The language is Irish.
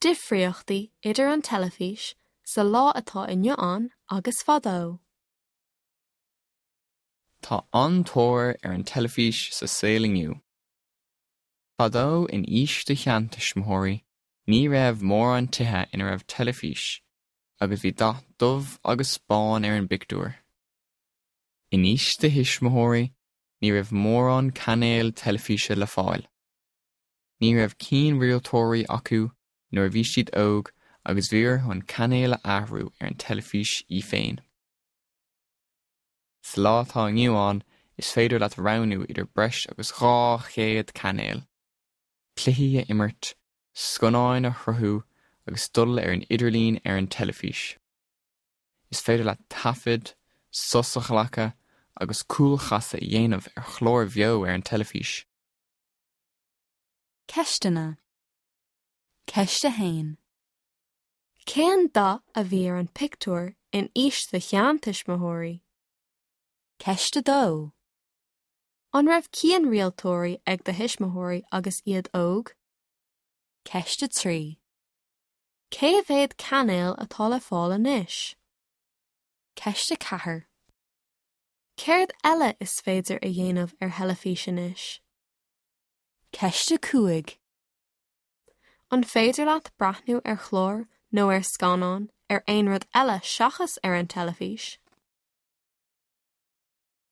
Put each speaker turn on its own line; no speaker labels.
Difríochtaí idir an teilifís sa lá atá inniu ann agus fadó.
Tá an-tóir ar an teilifís sa saol inniu. Fadó in aois do sheantuismitheoirí ní raibh mórán tithe ina raibh teilifís agus bhí dath dubh agus bán ar an bpictiúr. In aois do thuismitheoirí ní raibh mórán cainéil teilifíse le fáil. Ní raibh cianrialtóirí acu nuair a bhí siad óg agus bhí orthu an cainéal a athrú ar an teilifís í féin. Sa lá atá inniu ann is féidir leat roghnú idir breis agus 200 cainéal, cluichí a imirt, scannáin a shruthú agus dul ar an idirlíon ar an teilifís. Is féidir leat taifead, sos a ghlacadh agus cúlchasadh a dhéanamh ar chláir bheo ar an teilifís.
Ceisteanna. Ceist 1.
Cén dath a bhí ar an pictiúr in aois do sheantuismitheoirí?
Ceist 2.
An raibh cianrialtóirí ag do thuismitheoirí agus iad óg?
Ceist 3.
Cé mhéad cainéal atá le fáil anois?
Ceist 4.
Céard eile is féidir a dhéanamh ar theilifís anois?
Ceist 5.
An féidir leat breathnú ar chlár nó ar scannán ar aon rud eile seachas ar an teilifís?